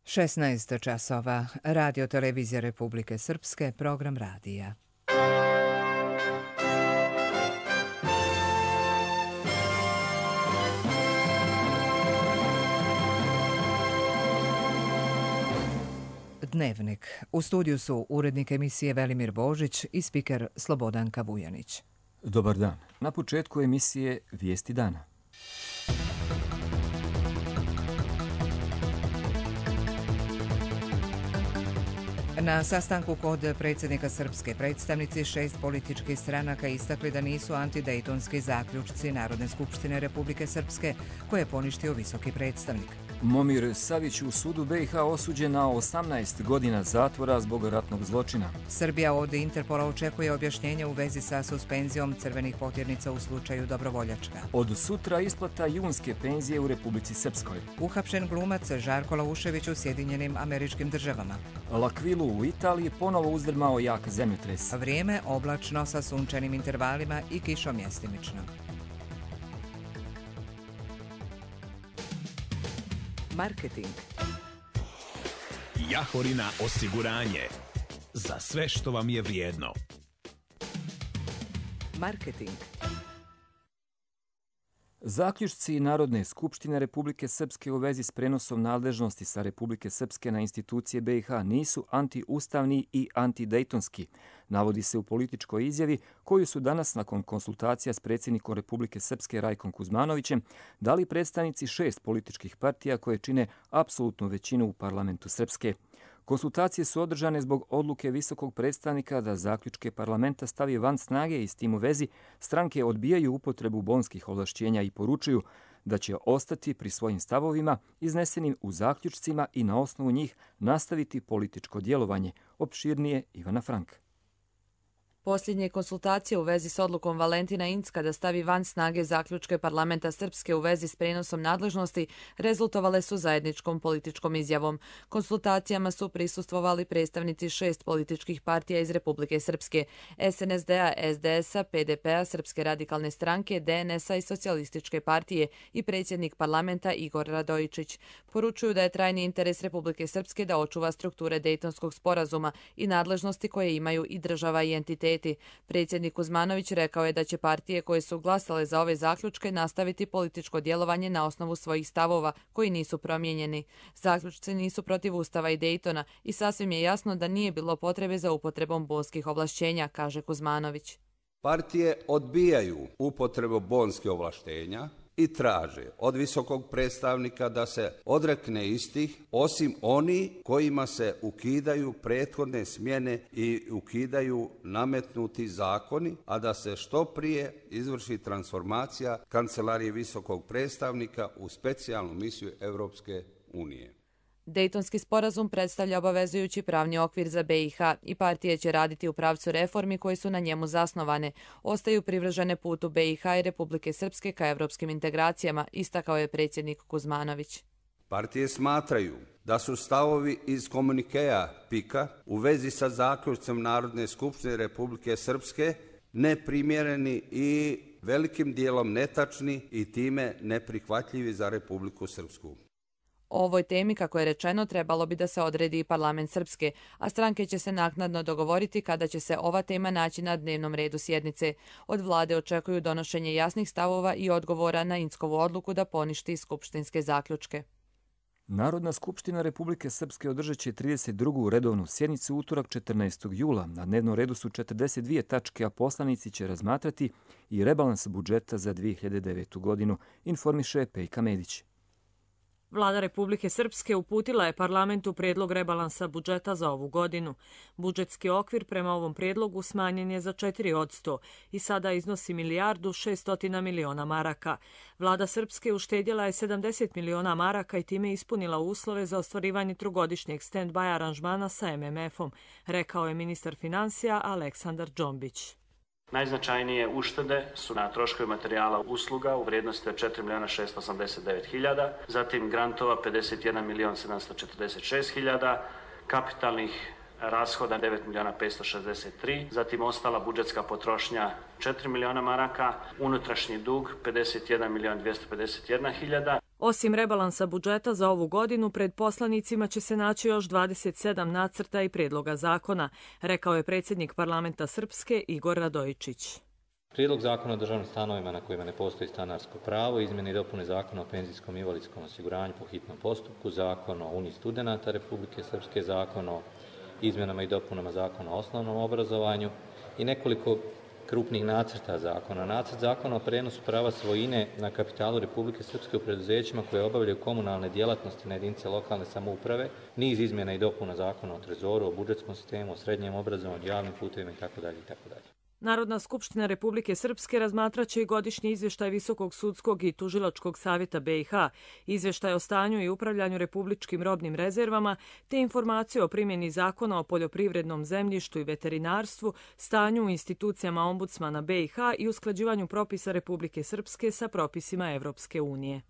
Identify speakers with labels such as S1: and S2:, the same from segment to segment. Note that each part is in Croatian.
S1: 16 časova. Radio Televizija Republike Srpske, program radija. Dnevnik. U studiju su urednik emisije Velimir Božić i spiker Slobodanka Vujanić.
S2: Dobar dan. Na početku emisije Vijesti dana.
S1: Na sastanku kod predsjednika srpske predstavnici 6 političkih stranaka istakli da nisu antidejtonski zaključci Narodne skupštine Republike Srpske koje je poništio visoki predstavnik.
S2: Momir Savić u sudu BiH osuđen na 18 godina zatvora zbog ratnog zločina.
S1: Srbija od Interpola očekuje objašnjenje u vezi sa suspenzijom crvenih potirnica u slučaju Dobrovoljačka.
S2: Od sutra isplata junske penzije u Republici Srpskoj.
S1: Uhapšen glumac Žarko Laušević u Sjedinjenim Američkim Državama.
S2: L'Aquilu u Italiji ponovo uzdrmao jak zemljotres.
S1: Vrijeme oblačno sa sunčanim intervalima i kišom mjestimično. Marketing.
S3: Jahorina osiguranje. Za sve što vam je vrijedno.
S1: Marketing.
S2: Zaključci Narodne skupštine Republike Srpske u vezi s prenosom nadležnosti sa Republike Srpske na institucije BiH nisu antiustavni i antidejtonski, navodi se u političkoj izjavi koju su danas nakon konsultacija s predsjednikom Republike Srpske Rajkom Kuzmanovićem dali predstavnici 6 političkih partija koje čine apsolutnu većinu u parlamentu Srpske. Konsultacije su održane zbog odluke visokog predstavnika da zaključke parlamenta stavi van snage i s tim u vezi stranke odbijaju upotrebu bonskih ovlašćenja i poručuju da će ostati pri svojim stavovima iznesenim u zaključcima i na osnovu njih nastaviti političko djelovanje. Opširnije Ivana Frank.
S4: Posljednje konsultacije u vezi s odlukom Valentina Incka da stavi van snage zaključke parlamenta Srpske u vezi s prenosom nadležnosti rezultovale su zajedničkom političkom izjavom. Konsultacijama su prisustvovali predstavnici 6 političkih partija iz Republike Srpske: SNSD-a, SDS-a, PDP-a, Srpske radikalne stranke, DNS-a i Socijalističke partije i predsjednik parlamenta Igor Radojičić. Poručuju da je trajni interes Republike Srpske da očuva strukture Dejtonskog sporazuma i nadležnosti koje imaju i država i entiteti. Predsjednik Kuzmanović rekao je da će partije koje su glasale za ove zaključke nastaviti političko djelovanje na osnovu svojih stavova koji nisu promijenjeni. Zaključci nisu protiv Ustava i Dejtona i sasvim je jasno da nije bilo potrebe za upotrebom bonskih ovlašćenja, kaže Kuzmanović.
S5: Partije odbijaju upotrebu bonskih ovlaštenja i traže od visokog predstavnika da se odrekne istih, osim oni kojima se ukidaju prethodne smjene i ukidaju nametnuti zakoni, a da se što prije izvrši transformacija Kancelarije visokog predstavnika u specijalnu misiju Europske unije.
S4: Dejtonski sporazum predstavlja obavezujući pravni okvir za BiH i partije će raditi u pravcu reformi koje su na njemu zasnovane. Ostaju privržene putu BiH i Republike Srpske ka evropskim integracijama, istakao je predsjednik Kuzmanović.
S5: Partije smatraju da su stavovi iz komunikeja PIK-a u vezi sa zaključcem Narodne skupštine Republike Srpske neprimjereni i velikim dijelom netačni i time neprihvatljivi za Republiku Srpsku.
S4: O ovoj temi, kako je rečeno, trebalo bi da se odredi i parlament Srpske, a stranke će se naknadno dogovoriti kada će se ova tema naći na dnevnom redu sjednice. Od vlade očekuju donošenje jasnih stavova i odgovora na Inckovu odluku da poništi skupštinske zaključke.
S2: Narodna skupština Republike Srpske održat će 32. redovnu sjednicu utorak 14. jula. Na dnevnom redu su 42 tačke, a poslanici će razmatrati i rebalans budžeta za 2009. godinu, informiše Pejka Medić.
S6: Vlada Republike Srpske uputila je parlamentu predlog rebalansa budžeta za ovu godinu. Budžetski okvir prema ovom predlogu smanjen je za 4% i sada iznosi 1.600.000.000 maraka. Vlada Srpske uštedjela je 70 miliona maraka i time ispunila uslove za ostvarivanje trogodišnjeg stand-by aranžmana sa MMF-om, rekao je ministar finansija Aleksandar Džombić.
S7: Najznačajnije uštede su na troškovi materijala usluga u vrijednosti od 4.689.000, zatim grantova 51.746.000, kapitalnih rashoda 9.563.000, zatim ostala budžetska potrošnja 4 miliona maraka, unutrašnji dug 51.251.000.
S6: Osim rebalansa budžeta za ovu godinu, pred poslanicima će se naći još 27 nacrta i prijedloga zakona, rekao je predsjednik parlamenta Srpske Igor Radojičić.
S8: Prijedlog zakona o državnim stanovima na kojima ne postoji stanarsko pravo, izmjene i dopune zakona o penzijskom i invalidskom osiguranju po hitnom postupku, zakon o Uniji studenata Republike Srpske, zakon o izmjenama i dopunama zakona o osnovnom obrazovanju i nekoliko krupnih nacrta zakona. Nacrt zakona o prenosu prava svojine na kapitalu Republike Srpske u preduzećima koje obavljaju komunalne djelatnosti na jedinice lokalne samouprave, niz izmjena i dopuna zakona o trezoru, o budžetskom sistemu, o srednjem obrazovanju, javnim putevima itd. itd.
S6: Narodna skupština Republike Srpske razmatraće i godišnji izvještaj Visokog sudskog i tužilačkog savjeta BiH, izvještaj o stanju i upravljanju republičkim robnim rezervama, te informacije o primjeni zakona o poljoprivrednom zemljištu i veterinarstvu, stanju u institucijama ombudsmana BiH i usklađivanju propisa Republike Srpske sa propisima Evropske unije.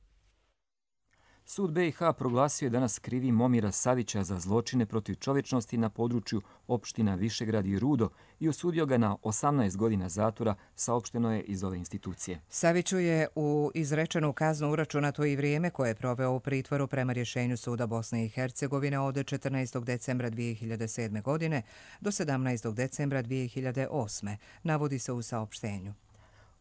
S2: Sud BiH proglasio je danas krivim Momira Savića za zločine protiv čovječnosti na području opština Višegrad i Rudo i osudio ga na 18 godina zatvora, saopšteno je iz ove institucije.
S1: Saviću je u izrečenu kaznu uračunato i vrijeme koje je proveo u pritvoru prema rješenju Suda Bosne i Hercegovine od 14. decembra 2007. godine do 17. decembra 2008. navodi se u saopštenju.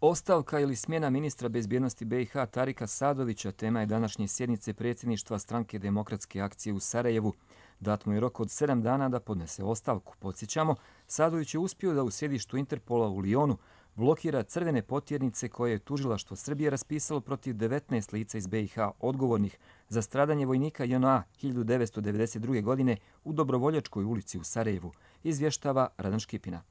S2: Ostavka ili smjena ministra bezbjednosti BiH Tarika Sadovića tema je današnje sjednice predsjedništva Stranke demokratske akcije u Sarajevu. Dat mu je rok od 7 dana da podnese ostavku. Podsjećamo, Sadović je uspio da u sjedištu Interpola u Lijonu blokira crvene potjernice koje je tužilaštvo Srbije raspisalo protiv 19 lica iz BiH odgovornih za stradanje vojnika JNA 1992. godine u Dobrovoljačkoj ulici u Sarajevu, izvještava Radan Škipina.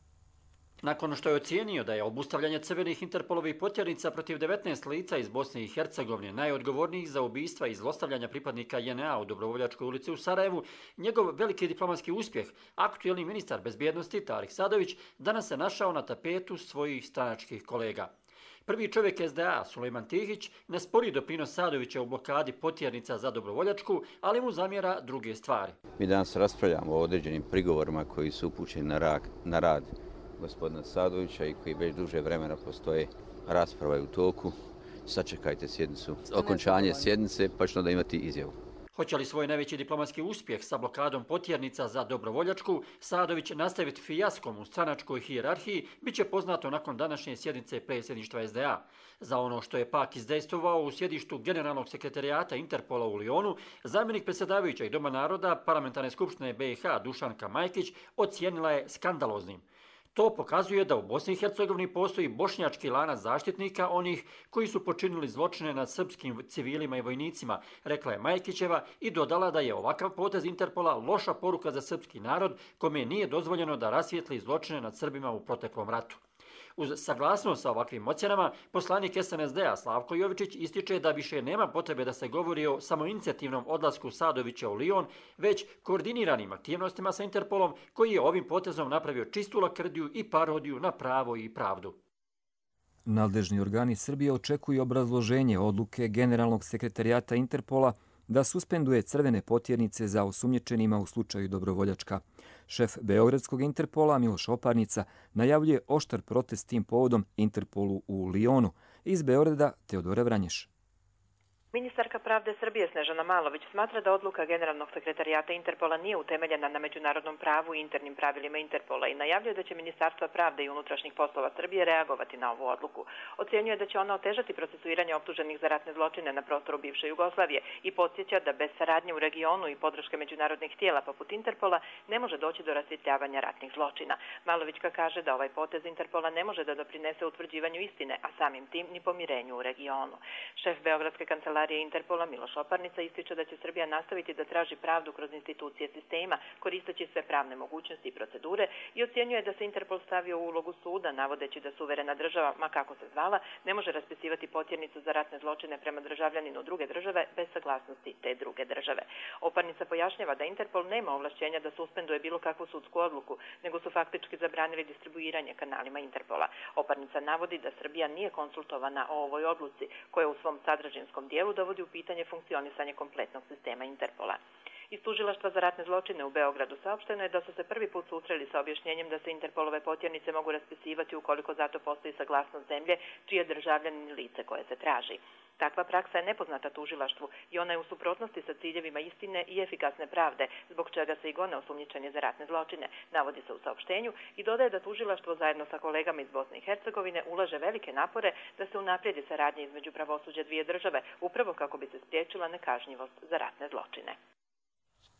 S9: Nakon što je ocijenio da je obustavljanje crvenih Interpolovih potjernica protiv 19 lica iz Bosne i Hercegovine najodgovornijih za ubistva i zlostavljanja pripadnika JNA u Dobrovoljačkoj ulici u Sarajevu, njegov veliki diplomatski uspjeh, aktuelni ministar bezbjednosti Tarik Sadović, danas se našao na tapetu svojih stranačkih kolega. Prvi čovjek SDA, Sulejman Tihić, ne spori doprinos Sadovića u blokadi potjernica za Dobrovoljačku, ali mu zamjera druge stvari.
S10: Mi danas raspravljamo o određenim prigovorima koji su upućeni na rad gospodina Sadovića i koji već duže vremena postoje, rasprava je u toku. Sačekajte sjednicu, okončanje sjednice, pa ćemo da imati izjavu.
S9: Hoće li svoj najveći diplomatski uspjeh sa blokadom potjernica za Dobrovoljačku Sadović nastaviti fijaskom u stranačkoj hijerarhiji, bit će poznato nakon današnje sjednice predsjedništva SDA. Za ono što je pak izdejstvovao u sjedištu Generalnog sekretarijata Interpola u Lijonu, zamjenik predsjedavajuća i Doma naroda Parlamentarne skupštine BiH Dušanka Majkić ocijenila je skandaloznim. To pokazuje da u Bosni i Hercegovini postoji bošnjački lanac zaštitnika onih koji su počinili zločine nad srpskim civilima i vojnicima, rekla je Majkićeva i dodala da je ovakav potez Interpola loša poruka za srpski narod kome nije dozvoljeno da rasvijetli zločine nad Srbima u proteklom ratu. Uz saglasnost sa ovakvim ocjenama, poslanik SNSD-a Slavko Jovičić ističe da više nema potrebe da se govori o samoinicijativnom odlasku Sadovića u Lijon, već koordiniranim aktivnostima sa Interpolom koji je ovim potezom napravio čistu lakrdiju i parodiju na pravo i pravdu.
S2: Nadležni organi Srbije očekuju obrazloženje odluke Generalnog sekretarijata Interpola da suspenduje crvene potjernice za osumnjičenima u slučaju Dobrovoljačka. Šef Beogradskog Interpola Miloš Oparnica najavljuje oštar protest tim povodom Interpolu u Lijonu. Iz Beograda Teodora Vranješ.
S11: Ministarka pravde Srbije Snežana Malović smatra da odluka Generalnog sekretarijata Interpola nije utemeljena na međunarodnom pravu i internim pravilima Interpola i najavljuje da će Ministarstva pravde i unutrašnjih poslova Srbije reagovati na ovu odluku. Ocenjuje da će ona otežati procesuiranje optuženih za ratne zločine na prostoru bivše Jugoslavije i podsjeća da bez saradnje u regionu i podrške međunarodnih tijela poput Interpola ne može doći do rasvjetljavanja ratnih zločina. Malovićka kaže da ovaj potez Interpola ne može da doprinese utvrđivanju istine, a samim tim ni pomirenju u regionu. Šef Beogradske kancelarije Interpola Miloš Oparnica ističe da će Srbija nastaviti da traži pravdu kroz institucije sistema, koristeći sve pravne mogućnosti i procedure i ocjenjuje da se Interpol stavio u ulogu suda, navodeći da suverena država, ma kako se zvala, ne može raspisivati potjernicu za ratne zločine prema državljaninu druge države bez saglasnosti te druge države. Oparnica pojašnjava da Interpol nema ovlašćenja da suspenduje bilo kakvu sudsku odluku, nego su faktički zabranili distribuiranje kanalima Interpola. Oparnica navodi da Srbija nije konsultovana o ovoj odluci, koja u svom sadržajinskom dijelu dovodi u pitanje funkcionisanje kompletnog sistema Interpola. Iz tužilaštva za ratne zločine u Beogradu saopšteno je da su se prvi put susreli sa objašnjenjem da se Interpolove potjernice mogu raspisivati ukoliko zato postoji saglasnost zemlje čije državljanin lice koje se traži. Takva praksa je nepoznata tužilaštvu i ona je u suprotnosti sa ciljevima istine i efikasne pravde, zbog čega se i gone osumnjičeni za ratne zločine, navodi se u saopštenju i dodaje da tužilaštvo zajedno sa kolegama iz Bosne i Hercegovine ulaže velike napore da se unaprijedi saradnja između pravosuđa dvije države, upravo kako bi se spriječila nekažnjivost za ratne zločine.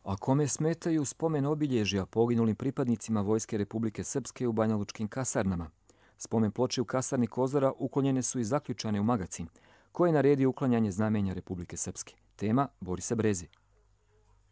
S2: A kome smetaju spomen obilježja poginulim pripadnicima Vojske Republike Srpske u banjalučkim kasarnama? Spomen ploče u kasarni Kozara uklonjene su i zaključane u Magacin. Ko je naredio uklanjanje znamenja Republike Srpske? Tema Borisa Brezi.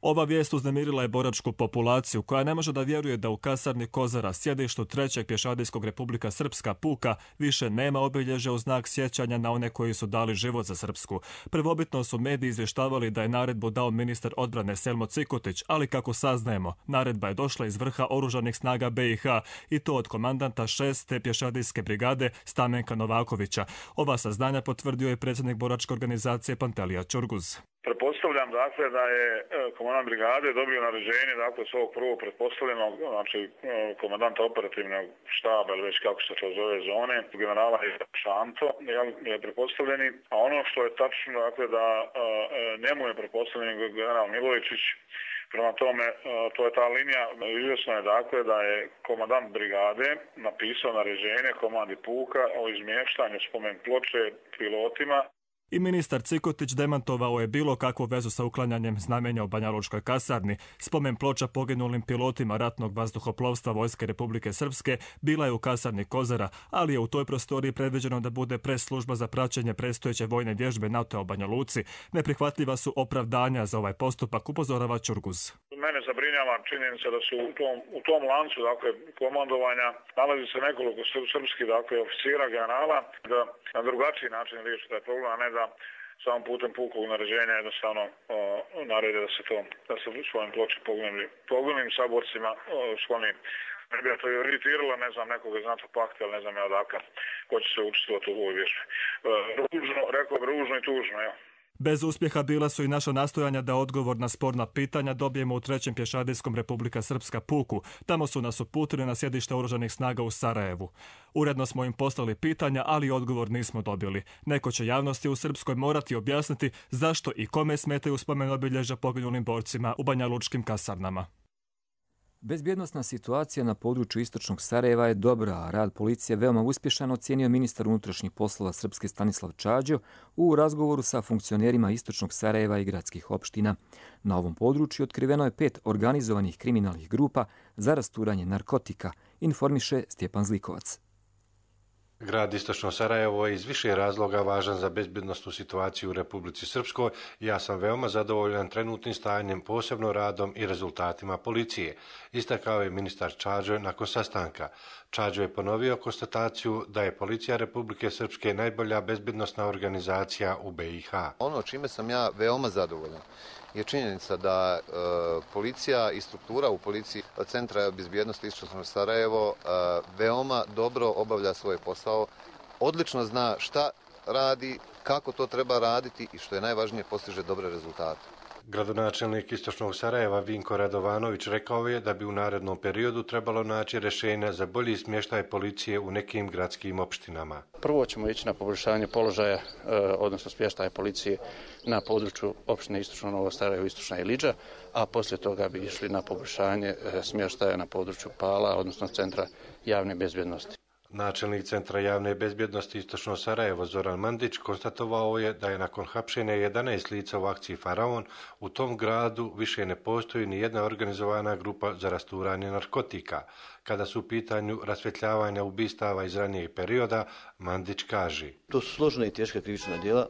S12: Ova vijest uznemirila je boračku populaciju koja ne može da vjeruje da u kasarni Kozara, sjedištu 3. pješadijskog Republika Srpska puka, više nema obilježja u znak sjećanja na one koji su dali život za Srpsku. Prvobitno su mediji izvještavali da je naredbu dao ministar odbrane Selmo Cikotić, ali kako saznajemo, naredba je došla iz vrha oružanih snaga BiH i to od komandanta 6. pješadijske brigade Stamenka Novakovića. Ova saznanja potvrdio je predsjednik boračke organizacije Pantelija Ćurguz.
S13: Pretpostavljam dakle da je komandant brigade dobio naređenje dakle svog prvog pretpostavljenog, znači komandanta operativnog štaba ili već kako se to zove zone, generala Šanto, je pretpostavljeni, a ono što je tačno dakle da njemu je pretpostavljen general Milojičić. Prema tome, to je ta linija. Izvjesno je dakle da je komandant brigade napisao naređenje komandi puka o izmještanju spomen ploče pilotima.
S12: I ministar Cikotić demantovao je bilo kakvu vezu sa uklanjanjem znamenja u banjalučkoj kasarni. Spomen ploča poginulim pilotima ratnog vazduhoplovstva Vojske Republike Srpske bila je u kasarni Kozara, ali je u toj prostoriji predviđeno da bude press-služba za praćenje predstojeće vojne vježbe NATO-a u Banja Luci. Neprihvatljiva su opravdanja za ovaj postupak, upozorava Ćurguz.
S13: Mene zabrinjava činjenica da su u tom lancu dakle, komandovanja nalazi se nekoliko srpskih dakle, oficira, generala, da na drugačiji način riješi taj problem, a ne da samom putem pukog naređenja jednostavno narede da se svojim ploče poginulim saborcima skloni. Ne bi to iritiralo, ne znam, nekoga iz NATO pakta, ali ne znam ja odakle ko će se učestvovati u ovoj vježbi. Ružno, rekao bi ružno i tužno, ja.
S12: Bez uspjeha bila su i naša nastojanja da odgovor na sporna pitanja dobijemo u 3. pješadijskom Republika Srpska puku. Tamo su nas uputili na sjedište oružanih snaga u Sarajevu. Uredno smo im poslali pitanja, ali odgovor nismo dobili. Neko će javnosti u Srpskoj morati objasniti zašto i kome smetaju spomen obilježja poginulim borcima u banjalučkim kasarnama.
S2: Bezbjednosna situacija na području istočnog Sarajeva je dobra, a rad policije veoma uspješan, ocijenio ministar unutrašnjih poslova Srpske Stanislav Čađo u razgovoru sa funkcionerima istočnog Sarajeva i gradskih opština. Na ovom području otkriveno je 5 organizovanih kriminalnih grupa za rasturanje narkotika, informiše Stjepan Zlikovac.
S14: Grad Istočno Sarajevo je iz više razloga važan za bezbjednosnu situaciju u Republici Srpskoj i ja sam veoma zadovoljan trenutnim stanjem, posebno radom i rezultatima policije, istakao je ministar Čađo nakon sastanka. Čađo je ponovio konstataciju da je policija Republike Srpske najbolja bezbjednosna organizacija u BiH.
S15: Ono čime sam ja veoma zadovoljan je činjenica da policija i struktura u policiji Centra bezbjednosti Istočno Sarajevo veoma dobro obavlja svoj posao, odlično zna šta radi, kako to treba raditi i što je najvažnije postiže dobre rezultate.
S14: Gradonačelnik Istočnog Sarajeva Vinko Radovanović rekao je da bi u narednom periodu trebalo naći rješenja za bolji smještaj policije u nekim gradskim opštinama.
S16: Prvo ćemo ići na poboljšanje položaja, odnosno smještaja policije na području opštine Istočno Novo Sarajevo, Istočna Ilidža, a poslije toga bi išli na poboljšanje smještaja na području Pala, odnosno Centra javne bezbjednosti.
S14: Načelnik Centra javne bezbjednosti Istočno Sarajevo Zoran Mandić konstatovao je da je nakon hapšenja 11 lica u akciji Faraon u tom gradu više ne postoji ni jedna organizovana grupa za rasturanje narkotika. Kada su u pitanju rasvjetljavanja ubistava iz ranijeg perioda, Mandić kaže:
S17: To su složena i teška krivična djela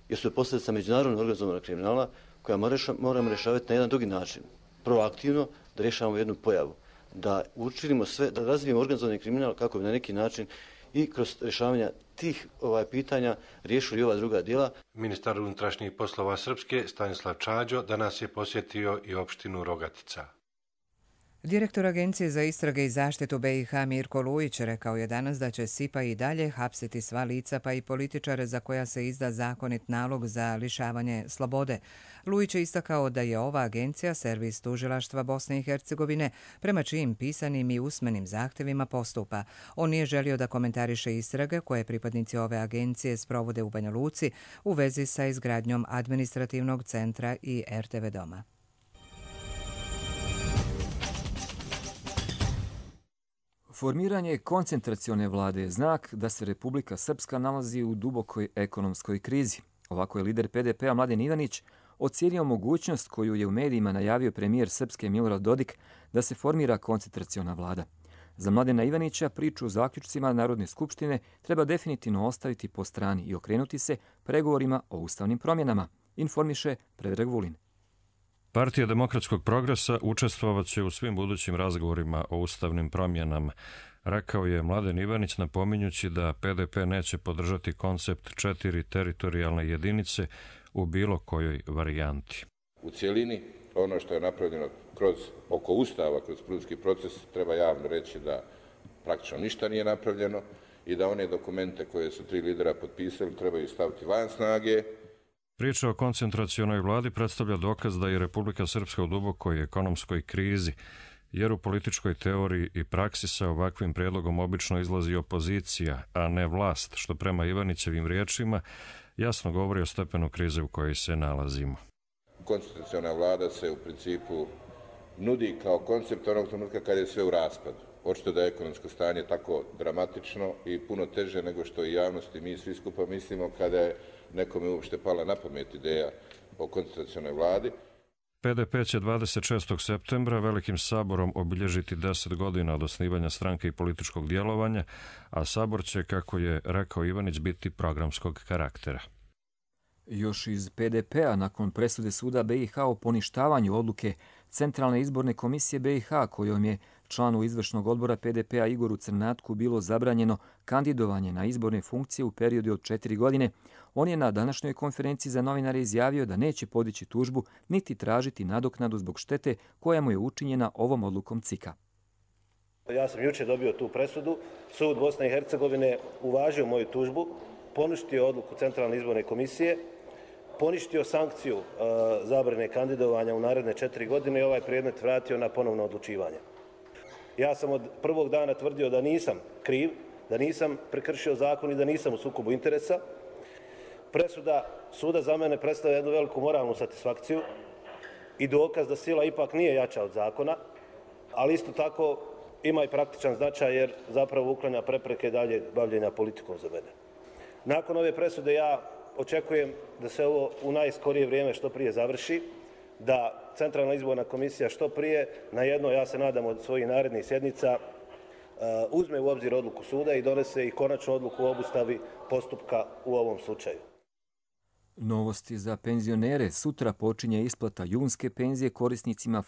S17: jer su posljedica međunarodnog organizovanog kriminala koja moramo rješavati na jedan drugi način. Proaktivno da rješavamo jednu pojavu. Da učinimo sve, da razvijemo organizovani kriminal kako bi na neki način i kroz rješavanja tih pitanja riješili ova druga djela.
S14: Ministar unutrašnjih poslova Srpske Stanislav Čađo danas je posjetio i opštinu Rogatica.
S1: Direktor Agencije za istrage i zaštitu BiH Mirko Lujić rekao je danas da će SIPA i dalje hapsiti sva lica pa i političare za koja se izda zakonit nalog za lišavanje slobode. Lujić je istakao da je ova agencija servis tužilaštva Bosne i Hercegovine prema čijim pisanim i usmenim zahtevima postupa. On nije želio da komentariše istrage koje pripadnici ove agencije sprovode u Banja Luci u vezi sa izgradnjom administrativnog centra i RTV doma.
S2: Formiranje koncentracione vlade je znak da se Republika Srpska nalazi u dubokoj ekonomskoj krizi. Ovako je lider PDP-a Mladen Ivanić ocijenio mogućnost koju je u medijima najavio premijer Srpske Milorad Dodik da se formira koncentraciona vlada. Za Mladena Ivanića priču o zaključcima Narodne skupštine treba definitivno ostaviti po strani i okrenuti se pregovorima o ustavnim promjenama, informiše Predrag Vulin.
S18: Partija demokratskog progresa učestvovaće u svim budućim razgovorima o ustavnim promjenama, rekao je Mladen Ivanić napominjući da PDP neće podržati koncept 4 teritorijalne jedinice u bilo kojoj varijanti.
S19: U cijelini, ono što je napravljeno oko Ustava, kroz politički proces, treba javno reći da praktično ništa nije napravljeno i da one dokumente koje su 3 lidera potpisali trebaju staviti van snage.
S18: Priča o koncentracionoj vladi predstavlja dokaz da je Republika Srpska u dubokoj ekonomskoj krizi, jer u političkoj teoriji i praksi sa ovakvim prijedlogom obično izlazi opozicija, a ne vlast, što prema Ivanićevim riječima jasno govori o stepenu krize u kojoj se nalazimo.
S19: Koncentraciona vlada se u principu nudi kao koncept onog trenutka kad je sve u raspadu. Očito da je ekonomsko stanje tako dramatično i puno teže nego što i javnosti mi svi skupa mislimo kada je nekome uopšte pala na pamet ideja o koncentracionoj vladi.
S18: PDP će 26. septembra velikim saborom obilježiti 10 godina od osnivanja stranke i političkog djelovanja, a sabor će, kako je rekao Ivanić, biti programskog karaktera.
S2: Još iz PDP-a nakon presude suda BiH o poništavanju odluke Centralne izborne komisije BiH kojom je članu izvršnog odbora PDP-a Igoru Crnatku bilo zabranjeno kandidovanje na izborne funkcije u periodu od 4 godine, on je na današnjoj konferenciji za novinare izjavio da neće podići tužbu niti tražiti nadoknadu zbog štete koja mu je učinjena ovom odlukom CIK-a.
S20: Ja sam jučer dobio tu presudu, sud Bosne i Hercegovine uvažio moju tužbu, poništio odluku Centralne izborne komisije, poništio sankciju zabrane kandidovanja u naredne 4 godine i ovaj predmet vratio na ponovno odlučivanje. Ja sam od prvog dana tvrdio da nisam kriv, da nisam prekršio zakon i da nisam u sukobu interesa. Presuda suda za mene predstavlja jednu veliku moralnu satisfakciju i dokaz da sila ipak nije jača od zakona, ali isto tako ima i praktičan značaj jer zapravo uklanja prepreke dalje bavljenja politikom za mene. Nakon ove presude ja očekujem da se ovo u najskorije vrijeme što prije završi, da Centralna izborna komisija što prije na jedno, ja se nadam, od svojih narednih sjednica uzme u obzir odluku suda i donese i konačnu odluku o obustavi postupka u ovom slučaju.
S2: Novosti za penzionere. Sutra počinje isplata junske penzije korisnicima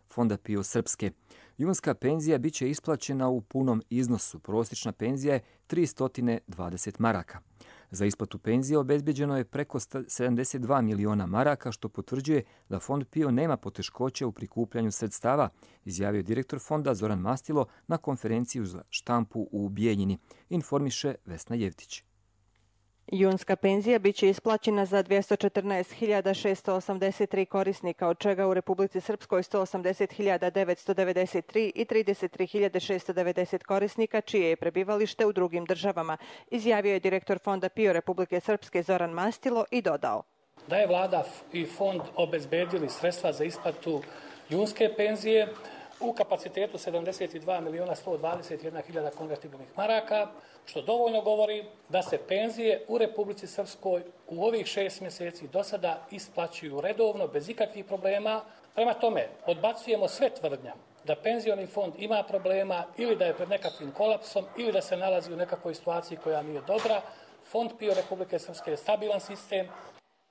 S2: Fonda PIO Srpske. Junska penzija bit će isplaćena u punom iznosu. Prosječna penzija je 320 maraka. Za isplatu penzije obezbeđeno je preko 72 miliona maraka, što potvrđuje da Fond PIO nema poteškoće u prikupljanju sredstava, izjavio direktor fonda Zoran Mastilo na konferenciju za štampu u Bijeljini, informiše Vesna Jevtić.
S21: Junska penzija biće isplaćena za 214.683 korisnika, od čega u Republici Srpskoj 180.993 i 33.690 korisnika čije je prebivalište u drugim državama, izjavio je direktor Fonda PIO Republike Srpske Zoran Mastilo i dodao.
S22: Da je vlada i fond obezbedili sredstva za isplatu junske penzije u kapacitetu 72.121.000 konvertibilnih maraka, što dovoljno govori da se penzije u Republici Srpskoj u ovih 6 mjeseci do sada isplaćuju redovno, bez ikakvih problema. Prema tome, odbacujemo sve tvrdnja da penzioni fond ima problema ili da je pred nekakvim kolapsom ili da se nalazi u nekakvoj situaciji koja nije dobra. Fond PIO Republike Srpske je stabilan sistem.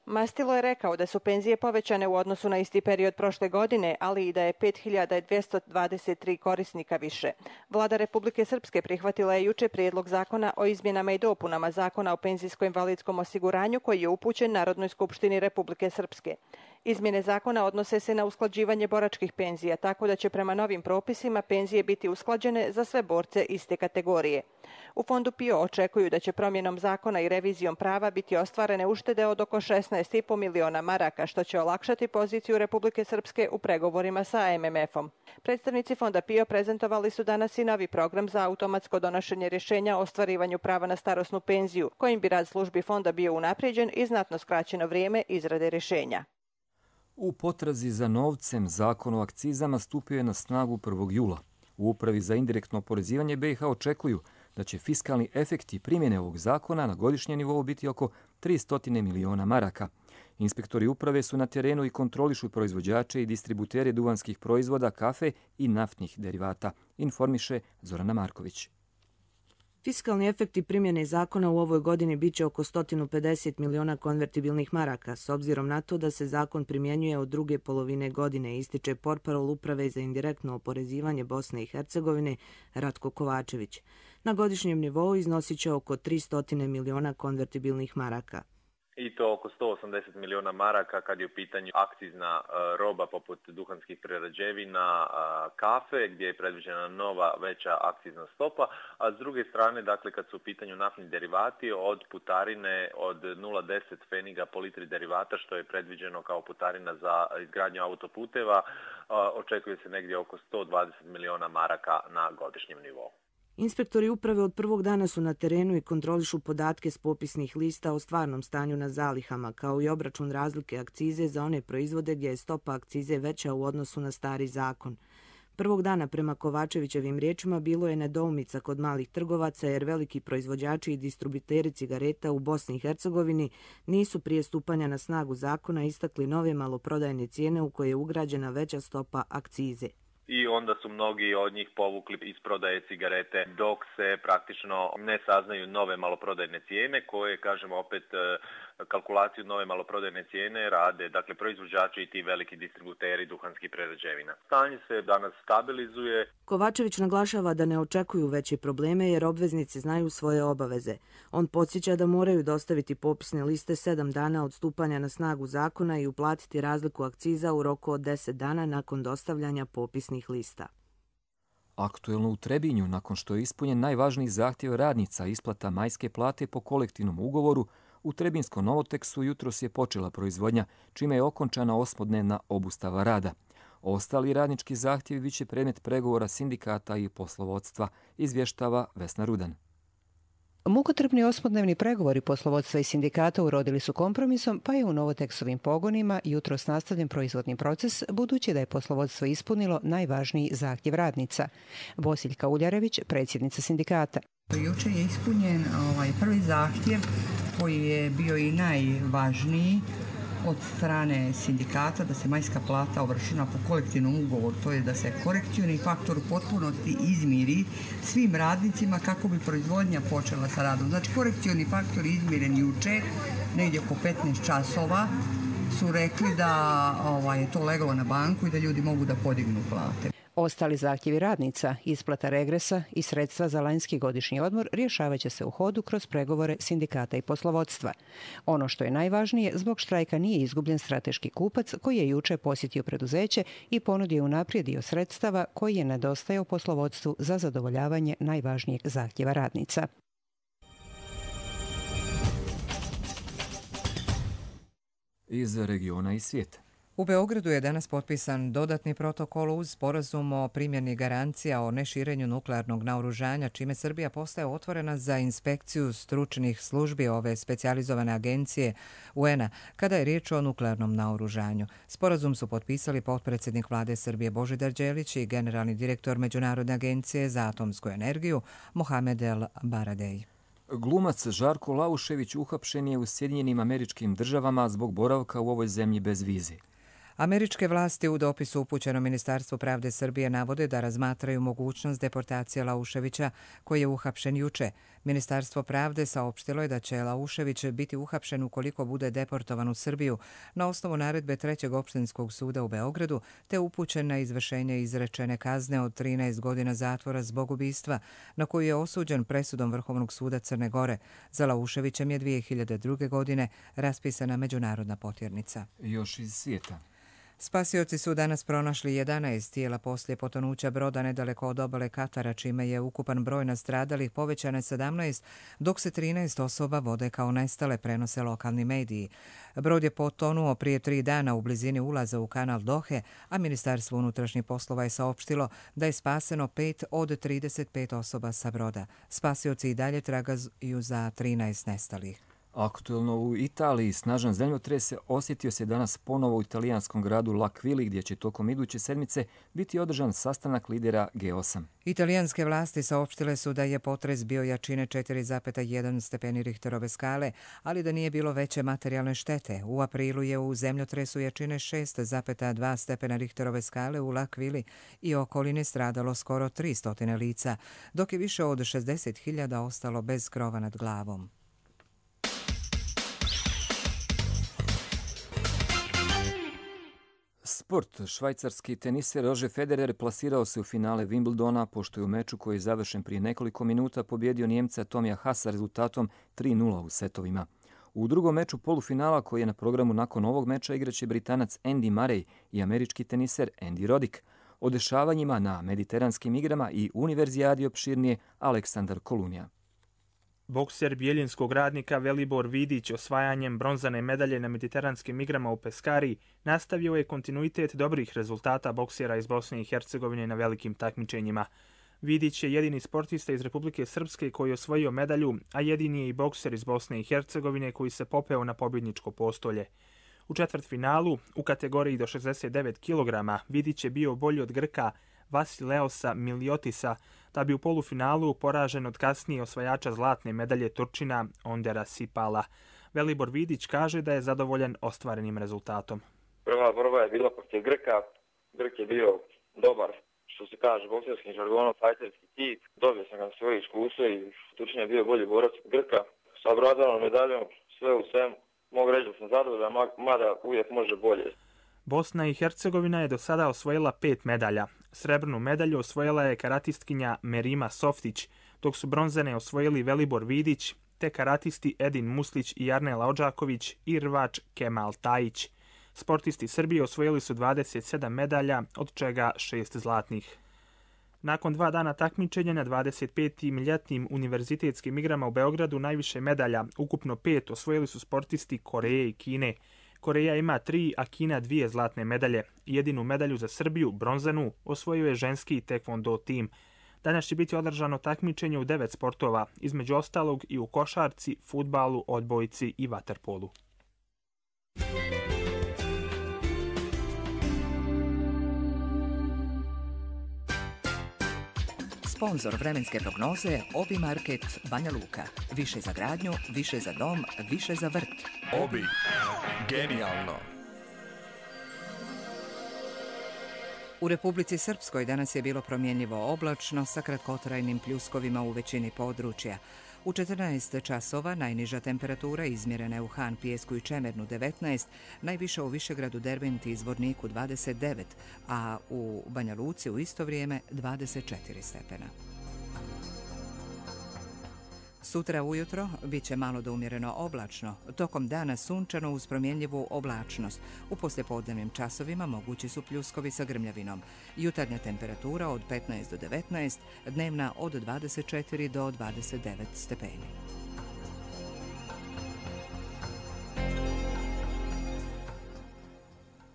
S21: Mastilo je rekao da su penzije povećane u odnosu na isti period prošle godine, ali i da je 5.223 korisnika više. Vlada Republike Srpske prihvatila je juče prijedlog zakona o izmjenama i dopunama Zakona o penzijsko-invalidskom osiguranju koji je upućen Narodnoj skupštini Republike Srpske. Izmjene zakona odnose se na usklađivanje boračkih penzija, tako da će prema novim propisima penzije biti usklađene za sve borce iste kategorije. U Fondu PIO očekuju da će promjenom zakona i revizijom prava biti ostvarene uštede od oko 16,5 miliona maraka, što će olakšati poziciju Republike Srpske u pregovorima sa MMF-om. Predstavnici Fonda PIO prezentovali su danas i novi program za automatsko donošenje rješenja o ostvarivanju prava na starosnu penziju, kojim bi rad službi Fonda bio unaprijeđen i znatno skraćeno vrijeme izrade rješenja.
S2: U potrazi za novcem Zakon o akcizama stupio je na snagu 1. jula. U Upravi za indirektno oporezivanje BiH očekuju da će fiskalni efekti primjene ovog zakona na godišnjem nivou biti oko 300 miliona maraka. Inspektori uprave su na terenu i kontrolišu proizvođače i distributere duvanskih proizvoda, kafe i naftnih derivata, informiše Zorana Marković.
S4: Fiskalni efekti primjene zakona u ovoj godini biće oko 150 miliona konvertibilnih maraka, s obzirom na to da se zakon primjenjuje od druge polovine godine, ističe portparol Uprave za indirektno oporezivanje Bosne i Hercegovine Ratko Kovačević. Na godišnjem nivou iznosit će oko 300 miliona konvertibilnih maraka.
S3: I to oko 180 miliona maraka kad je u pitanju akcizna roba poput duhanskih prerađevina, kafe gdje je predviđena nova veća akcizna stopa, a s druge strane, dakle, kad su u pitanju naftni derivati od putarine od 0,10 pfeniga po litri derivata, što je predviđeno kao putarina za izgradnju autoputeva, očekuje se negdje oko 120 miliona maraka na godišnjem nivou.
S4: Inspektori uprave od prvog dana su na terenu i kontrolišu podatke s popisnih lista o stvarnom stanju na zalihama, kao i obračun razlike akcize za one proizvode gdje je stopa akcize veća u odnosu na stari zakon. Prvog dana, prema Kovačevićevim riječima, bilo je nedoumica kod malih trgovaca jer veliki proizvođači i distributeri cigareta u Bosni i Hercegovini nisu prije stupanja na snagu zakona istakli nove maloprodajne cijene u koje je ugrađena veća stopa akcize.
S3: I onda su mnogi od njih povukli iz prodaje cigarete dok se praktično ne saznaju nove maloprodajne cijene koje, kažemo opet, kalkulaciju nove maloprodajne cijene rade, dakle, proizvođači i ti veliki distributeri duhanskih prerađevina. Stanje se danas stabilizuje.
S4: Kovačević naglašava da ne očekuju veće probleme jer obveznici znaju svoje obaveze. On podsjeća da moraju dostaviti popisne liste 7 dana od stupanja na snagu zakona i uplatiti razliku akciza u roku od 10 dana nakon dostavljanja popisnih lista.
S2: Aktuelno u Trebinju, nakon što je ispunjen najvažniji zahtjev radnica isplata majske plate po kolektivnom ugovoru, u Trebinskom Novoteksu jutros je počela proizvodnja, čime je okončana 8-dnevna obustava rada. Ostali radnički zahtjevi biće predmet pregovora sindikata i poslovodstva, izvještava Vesna Rudan.
S5: Mukotrpni 8-dnevni pregovori poslovodstva i sindikata urodili su kompromisom, pa je u Novoteksovim pogonima jutros nastavljen proizvodni proces, budući da je poslovodstvo ispunilo najvažniji zahtjev radnica. Bosiljka Uljarević, predsjednica sindikata.
S23: Juče je ispunjen prvi zahtjev koji je bio i najvažniji od strane sindikata da se majska plata obračuna po kolektivnom ugovoru, to je da se korekcioni faktor u potpunosti izmiri svim radnicima kako bi proizvodnja počela sa radom. Znači, korekcioni faktor izmiren juče, negdje oko 15 časova, su rekli da je to leglo na banku i da ljudi mogu da podignu plate.
S5: Ostali zahtjevi radnica, isplata regresa i sredstva za lanjski godišnji odmor rješavaće se u hodu kroz pregovore sindikata i poslovodstva. Ono što je najvažnije, zbog štrajka nije izgubljen strateški kupac koji je juče posjetio preduzeće i ponudio unaprijed dio sredstava koji je nedostajao poslovodstvu za zadovoljavanje najvažnijeg zahtjeva radnica.
S2: Iz regiona i svijeta.
S1: U Beogradu je danas potpisan dodatni protokol uz sporazum o primjeni garancija o neširenju nuklearnog naoružanja, čime Srbija postaje otvorena za inspekciju stručnih službi ove specijalizovane agencije UN-a kada je riječ o nuklearnom naoružanju. Sporazum su potpisali potpredsjednik vlade Srbije Božidar Đelić i generalni direktor Međunarodne agencije za atomsku energiju Mohamed El Baradej.
S2: Glumac Žarko Laušević uhapšen je u Sjedinjenim Američkim Državama zbog boravka u ovoj zemlji bez vize.
S1: Američke vlasti u dopisu upućenom Ministarstvu pravde Srbije navode da razmatraju mogućnost deportacije Lauševića koji je uhapšen juče. Ministarstvo pravde saopštilo je da će Laušević biti uhapšen ukoliko bude deportovan u Srbiju na osnovu naredbe 3. opštinskog suda u Beogradu, te upućen na izvršenje izrečene kazne od 13 godina zatvora zbog ubistva, na koju je osuđen presudom Vrhovnog suda Crne Gore. Za Lauševićem je 2002. godine raspisana međunarodna potjernica.
S2: Još iz svijeta.
S1: Spasioci su danas pronašli 11 tijela poslije potonuća broda nedaleko od obale Katara, čime je ukupan broj nastradalih povećan na 17, dok se 13 osoba vode kao nestale, prenose lokalni mediji. Brod je potonuo prije 3 dana u blizini ulaza u kanal Dohe, a Ministarstvo unutrašnjih poslova je saopštilo da je spaseno 5 od 35 osoba sa broda. Spasioci i dalje tragaju za 13 nestalih.
S2: Aktuelno u Italiji snažan zemljotres osjetio se danas ponovo u italijanskom gradu L'Aquili, gdje će tokom iduće sedmice biti održan sastanak lidera G8.
S1: Italijanske vlasti saopštile su da je potres bio jačine 4,1 stepeni Richterove skale, ali da nije bilo veće materijalne štete. U aprilu je u zemljotresu jačine 6,2 stepena Richterove skale u L'Aquili i okolini stradalo skoro 300 lica, dok je više od 60.000 ostalo bez krova nad glavom.
S2: Sport. Švajcarski teniser Roger Federer plasirao se u finale Wimbledona, pošto je u meču koji je završen prije nekoliko minuta pobjedio Njemca Tomija Hasa rezultatom 3:0 u setovima. U drugom meču polufinala, koji je na programu nakon ovog meča, igraće Britanac Andy Murray i američki teniser Andy Roddick. O dešavanjima na mediteranskim igrama i univerzijadi opširnije Aleksandar Kolunija.
S6: Bokser bijeljinskog radnika Velibor Vidić osvajanjem bronzane medalje na mediteranskim igrama u Peskari nastavio je kontinuitet dobrih rezultata boksera iz Bosne i Hercegovine na velikim takmičenjima. Vidić je jedini sportista iz Republike Srpske koji je osvojio medalju, a jedini je i bokser iz Bosne i Hercegovine koji se popeo na pobjedničko postolje. U četvrtfinalu, u kategoriji do 69 kg, Vidić je bio bolji od Grka Vasileosa Miliotisa, da bi u polufinalu poražen od kasnije osvajača zlatne medalje Turčina Ondera Sipala. Velibor Vidić kaže da je zadovoljan ostvarenim rezultatom.
S7: Prva borba je bila protiv Grka. Grk je bio dobar, što se kaže bokserskim žargonom, fajterski tip. Dobio sam ga na svoje iskustvo i Turčin je bio bolji borac od Grka. Sa bronzanom medaljom, sve u svemu, mogu reći da sam zadovoljan, mada uvijek može bolje.
S6: Bosna i Hercegovina je do sada osvojila 5 medalja. Srebrnu medalju osvojila je karatistkinja Merima Softić, dok su bronzane osvojili Velibor Vidić, te karatisti Edin Muslić i Jarnela Odžaković i rvač Kemal Tajić. Sportisti Srbije osvojili su 27 medalja, od čega 6 zlatnih. Nakon 2 dana takmičenja na 25. ljetnim univerzitetskim igrama u Beogradu najviše medalja, ukupno 5, osvojili su sportisti Koreje i Kine. Koreja ima 3, a Kina 2 zlatne medalje. Jedinu medalju za Srbiju, bronzanu, osvojio je ženski tekvondo tim. Danas će biti održano takmičenje u 9 sportova, između ostalog i u košarci, fudbalu, odbojci i vaterpolu.
S1: Sponzor vremenske prognoze Obi Market Banja Luka. Više za gradnju, više za dom, više za vrt.
S8: Obi. Genijalno.
S1: U Republici Srpskoj danas je bilo promjenljivo oblačno sa kratkotrajnim pljuskovima u većini područja. U 14 časova najniža temperatura izmjerena je u Han, Pijesku i Čemernu 19, najviša u Višegradu, Derventi i Zvorniku 29, a u Banja Luci u isto vrijeme 24 stepena. Sutra ujutro bit će malo do umjereno oblačno, tokom dana sunčano uz promjenljivu oblačnost. U poslijepodnevnim časovima mogući su pljuskovi sa grmljavinom. Jutarnja temperatura od 15 do 19, dnevna od 24 do 29 stepeni.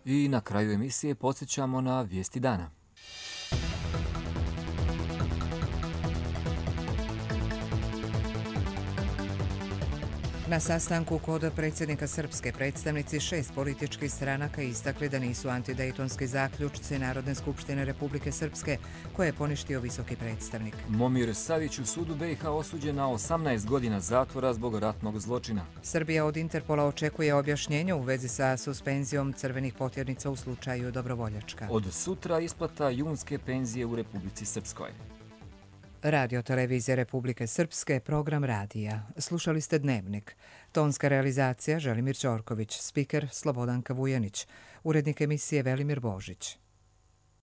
S2: I na kraju emisije podsjećamo na vijesti dana.
S1: Na sastanku kod predsjednika srpske predstavnici 6 političkih stranaka istakli da nisu antidejtonski zaključci Narodne skupštine Republike Srpske koje je poništio visoki predstavnik.
S2: Momir Savić u sudu BiH osuđen na 18 godina zatvora zbog ratnog zločina.
S1: Srbija od Interpola očekuje objašnjenje u vezi sa suspenzijom crvenih potjernica u slučaju Dobrovoljačka.
S2: Od sutra isplata junske penzije u Republici Srpskoj.
S1: Radio Televizije Republike Srpske, program radija. Slušali ste Dnevnik. Tonska realizacija Želimir Ćorković, spiker Slobodanka Vujanić, urednik emisije Velimir Božić.